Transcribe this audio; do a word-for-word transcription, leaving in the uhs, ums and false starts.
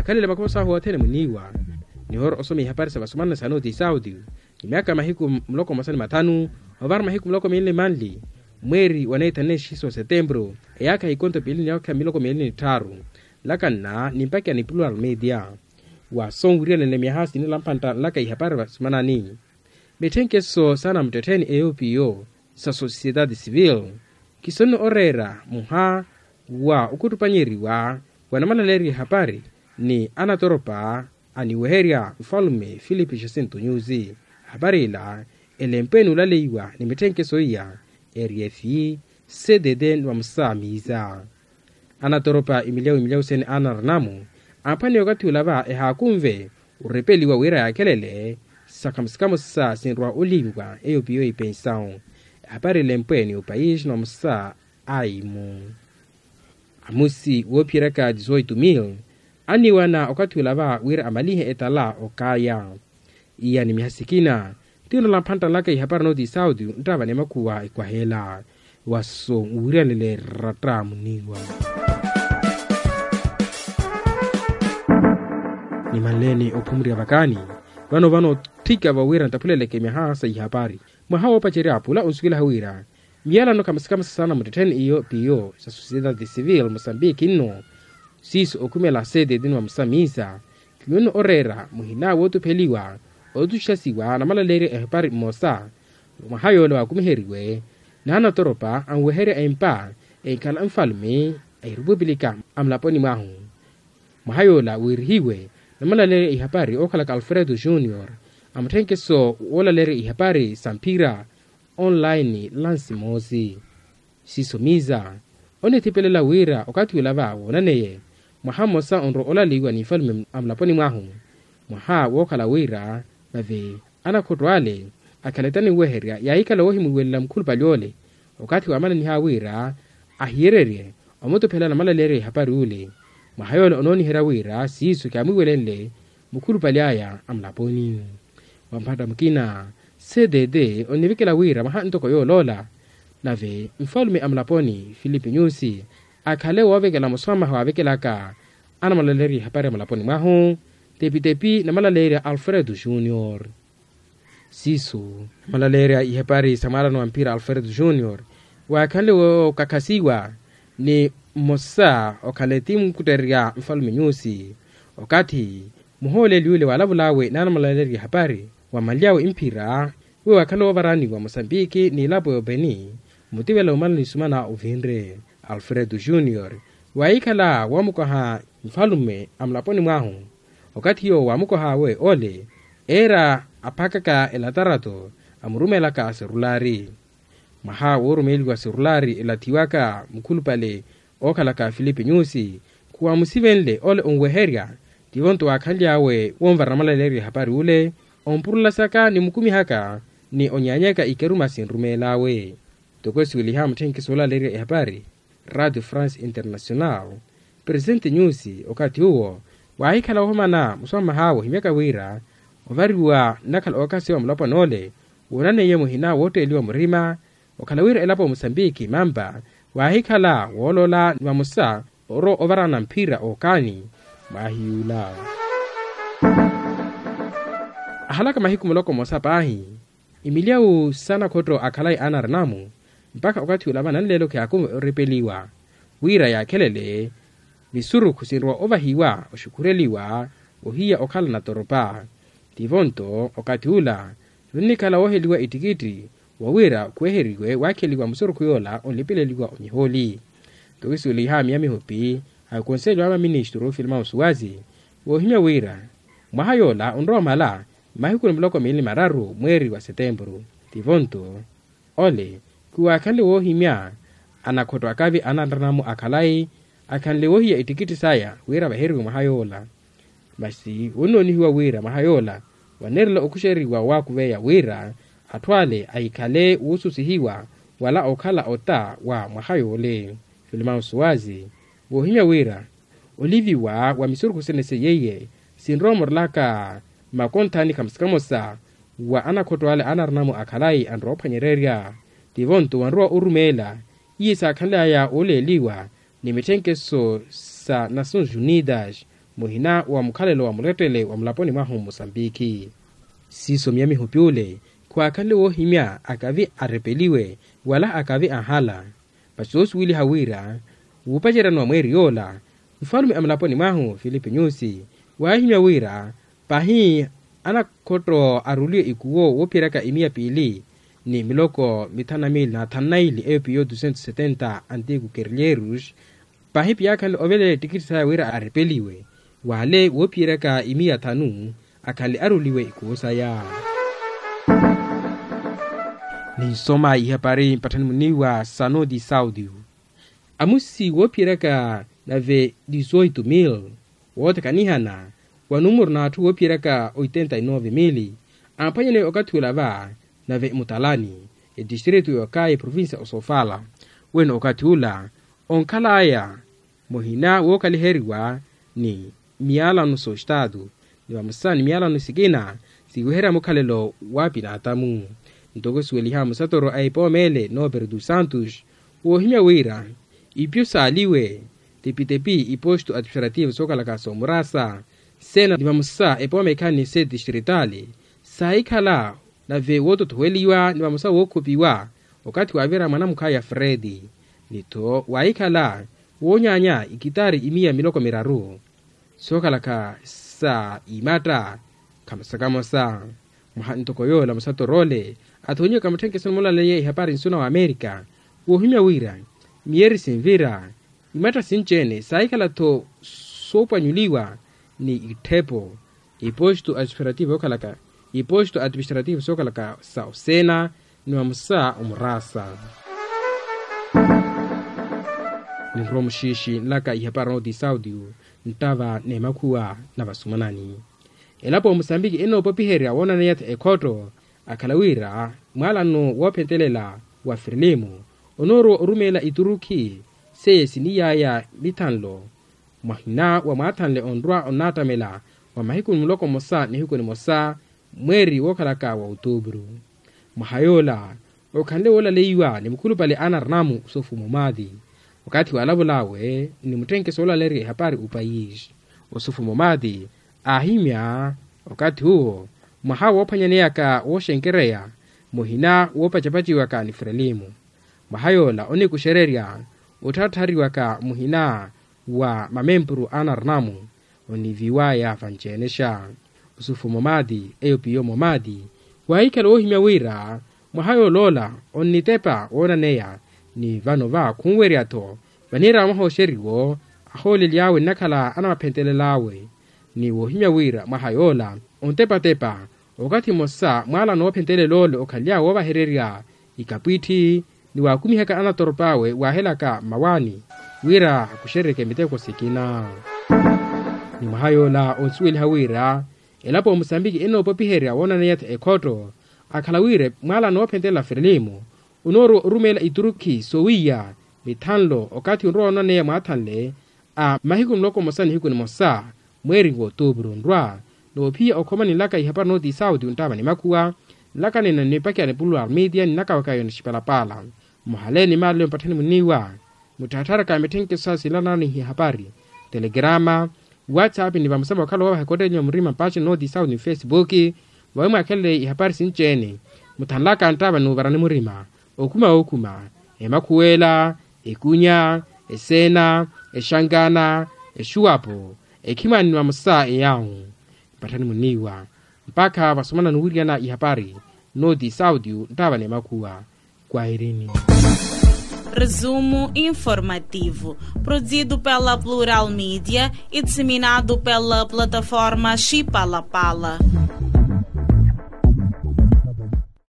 Khalele makhosa ahu othene muniiwa. Nihora osoma ihapari sa vasomana sa noti sauti. Ni myaka mahiku muloko mmosa ni mathanu ovara mahiku muloko miili ni manli, mweeri wa neithanexi so setempuru, eyaakha ikonto piili ni yaakha miloko miili ni tthaaru. Nlakanna ni mpakha ni plural media. Wa sonwiriyanene myaha sinilampantta nlaka ihapari vasumanani. Mitthenkeso saana muttettheni eyo piyo sa sosiyetati sivili, kisonne oreera muha wa okhuttupanyeriwa wa namalaleeriya ehapari ni anatoropa aniweherya nfalume filipe jacinto nyusi. Ehapari ila elempwe ni olaleiwa ni mitthenkeso iya, eriyefi cdd ni vamusa miisa. Anatoropa imilyawu imilyawu sene anarinamu, aphwaniye okathi ula va ehaakunve orepeliwa wira yaakhelele. Sakhamo sikhamosa sinrwa oliiviwa eyo piyo ipensawu. Ehapari elempwe ni opaisi ni vamusa aimu. Amusi woophiyeryaka dizoitu mil aniiwana okathi ula va wira amalihe etala okaya. Iya ni myaha sikina, ti onala mphantta nlaka ihapari nooti sauti nttava ni makhuwa ekwaheela. Waso nwiriyanele ratta muniiwa. Nimanleeni ophumurya vakaani vano vano otthika vawira nttaphuleleke myaha sa ihapari. Mwaha woopacerya pula onsuwelaha wira miyalano khamasikamasasana muttettheni iyo piyo sa sosiyetati sivili mosambiki nno. Siiso okhumela seteti ni vamusa miisa, kiwonno oreera muhina wootupheliwa otuxasiwa namalaleerya ehapari mmosa. Mwaha yoola waakumiheriwe naanatoropa anweherya empa enkhala nfalume a erupupilika amulaponi mwahu. Mwaha yoola wiirihiwe namalaleerya ihapari ookhalaka alfredo junior, amutthenkeso woolaleerya ihapari sa mphira online lansi moosi. Siiso miisa onithipelela wira okathi ula va woonaneye mwaha mmosa onrowa olaleiwa ni nfalume amulaponi mwahu. Mwaha wookhala wira vave anakhotto ale akhale taniweherya yaahikhala woohimuwelela mukhulupale ole. Okathi waamananiha wira ahiyererye omutuphela namalaleerya ihapari ule. Mwaha yoola onooniherya wira siiso kyaamwiwelenle mukhulupale aya amulaponi. Wa mphatta mukina cdd onivikela wira mwaha ntoko yooloola nave nfalume amulaponi filipe nyusi akhale woovekela muswamaha waavekelaka anamalaleerya ihapari amulaponi mwahu, tepitepi namalaleerya alfredo junior. Siiso namalaleerya ihapari sa mwaalano wa mphira alfredo junior waakhanle wookakhasiwa ni mmosa okhale ti munkuttererya nfalume nyusi. Okathi muhooleli yule waalavul'awe naanamalaleerya ihapari wamanly'awe mphira, iwe waakhanle woovaraniwa mosambiki n'ilapo y'openi mutivela omala nisumana ovinre alfredo junior waahikhala woomukoha nfalume amulaponi mwahu. Okathi yoowo waamukoh'awe ole eera aphakaka elatarato amurumeelaka serulari. Mwaha woorumeeliwa serulari elathiwaka mukhulupale ookhalaka filipe nyusi khuwaamusivenle ole onweherya. Tivo-nto waakhanly'awe wonvara namalaleerya ehapari ule ompurulasaka ni mukumihaka ni onyaanyaka ikeruma sinrumeel'awe. Ntoko esuweliha mutthenkeso woolaleerya ehapari radio france international, presente nyusi okathi uwo waahikhala woohomana muswamah'awe ohimyaka wira ovariwa nnakhala ookhasiwa mulapwan'ole woonaneiye muhina wootteeliwa murima. Okhala wira elapo ya musambiki mampa waahikhala wooloola ni vamosa orowa ovarana mphira ookaani. Mwaahiy'ula ahalaka mahiku muloko mmosa paahi imilyawu sa nakhotto a khalayi anarinamu mpakha okathi ula va nanleelo khiyaakumu orepeliwa wira yaakhelele misurukhu sinrowa ovahiwa oxukhureliwa ohiya okhala natoropa. Tivo-nto okathi ula nunnikhala wooheliwa ittikitti wawira khuweheriwe waakheliwa musurukhu yoola onlipeleliwa omihooli. Ntoko kisuweliha miya mihupi a konseliwa a maministru filmao suwazi woohimya wira mwaha yoola onrowa omala mmahiku ni muloko miili ni mararu mweeri wa setempuru. Tivo-nto ole khuwaakhanle woohimya anakhotto akavi anarinamu a khalayi akhanle woohiya ittikitti saya wira vaheriwe mwaha yoola. Masi wonnoonihiwa wira mwaha yoola waneerela okhuxeriwa waakuveya wira atthu ale ahikhale woosusihiwa wala okhala ota wa mwaha yoole. Filmao suwazi woohimya wira oliviwa wa misurukhu sene seiye iye sinrowa omorelaka mmakonthani khamosa khamosa wa anakhotto ale anarinamu a khalayi anrowa ophwanyererya. Tivo-nto wanrowa orumeela iye saakhanly'aya ooleeliwa ni mitthenkeso sa nações unidas muhina wa mukhalelo wa mulettele wa mulaponi mwahu mmusambikhi. Siiso miya mihupi ule khwaakhanle woohimya akavi arepeliwe wala akavi anhala. Vasi woosuweliha wira wuupaceryani wa mweeri yoola, nfalume a mulaponi mwahu filipe nyusi waahimya wira pahi anakhotto aruliwe ikuwo woophiyeryaka imiya piili ni miloko mithanu na miili na thanu na ili eyo piyo dusentos setenta antiku kerlyeerus. Pahi piyaakhanle ovelela ettikitti saya wira arepeliwe wale woophiyeryaka imiya thanu akhanle aruliwe ikuwo saya. Ninsoma ihapari mpatthani muniiwa sa noti saudio. Amusi woophiyeryaka nave dizoito mil wootekanihana wa numuru n'atthu woophiyeryaka oitenta e nove mil aaphwanyaneya okathi ula va nave mutalani etistritu y'okaya eprovincia osofala. Weno okathi ula onkhalaya muhina wookhaliheriwa ni miyalano s'ostatu ni vamosa ni miyalano sikina siiweherya mukhalelo wa pinaatamu. Ntoko suweliha musatoro a epooma ele noopere dos santos woohimya wira ipyo saaliwe tepitepi iposto administrativo sookhalaka soomurasa sena ni vamosa epooma ekhani se distritali saahikhala nave wootothoweliwa ni vamosa wookhupiwa okathi waavira mwanamukha ya fredi ni-tho waahikhala woonyaanya ikitari imiya miloko miraru sookhalaka sa imatta khamosa khamosa. Mwaha ntoko yoola musatoroole athonyiwaka mutthenkeso ni mulaleya ihapari nsuna wa amerika woohimya wira miyeri sinvira imatta sinci-ene saahikhala-tho soopwanyuliwa ni itthepo iposto administrativo yookhalaka iposto administrativo sookhalaka sa osena ni vamosa omurasa. Ninrowa muxiixi nlaka ihapari noti saudio nttava n'emakhuwa na vasumanani. Elapo ya musambiki enoopopiherya woonaneya-tho ekhotto akhala wira mwaalano woophentelela wa frelimo onoorowa orumeela iturukhi seiye siniyaya mithanlo mwahina wa mwaathanle onrwa onnaattamela wa mahiku muloko mmosa nihiku nimosa mweeri wookhalaka wa otuupuru. Mwaha yoola okhanle woolaleiwa ni mukhulupale a anarnamu osofu momaati okathi waalavul'awe ni mutthenkeso woolalerya ihapari opayisi. Osofu momaati aahimya okathi uwo mwaha woophwanyaneyaka wooxenkereya muhina woopacapaciwaka ni frelimo. Mwaha yoola onikuxererya ottharatthariwaka muhina wa mamempuru a anarnamu oniviwaya vanci-enexa. Osufu momaati eyo piyo momaati waahikhala woohimya wira mwaha yooloola onnitepa woonaneya ni vano va khunwerya-tho vaniira mwaha oxeriwo ahoolely'awe nnakhala anamaphentelel'awe. Ni woohimya wira mwaha yoola ontepatepa okathi mmosa mwaalano woophentelela ole okhaly'awe woovahererya ikapwitthi ni waakumihaka anatorop'awe waahelaka mmawaani wira akuxeryeke miteko sikina. Ni mwaha yoola onsuweliha wira elapo ya musambiki enoopopiherya woonaneya-tho ekhotto akhala wira mwaalano woophentelela frelimo onoorowa orumeela iturukhi soowiya mithanlo okathi onrowa woonaneya mwaathanle a mahiku muloko mmosa nihiku nimosa mweeri w'otuupuru onrwa. Noophiya okhoma ninlaka ihapari noti sauti onttava ni makhuwa nlaka nina nipakiya ni pulular media ninakawaka yona xipalapala. Mmohale ni maaleyo mpatthani muniiwa muttharatharaka mitthenkeso sa silanani ihapari telegrama whatsapp ni vamusama okhala woovaha ekottenyu ya murima mpace noti sauti ni facebook vawe mwaakhelele ihapari sinci-ene. Muthanlaka nttava n'uvarani murima okhuma okhuma emakhuwela ekunya esena exankana exuwapo ekhimani ni vamosa eyawu. Mpatthani muniiwa mpakha vasomana nuwiriyana ihapari noti sauti nttava n'emakhuwa. Kwahirini. Resumo informativo produzido pela plural media e disseminado pela plataforma xipalapala.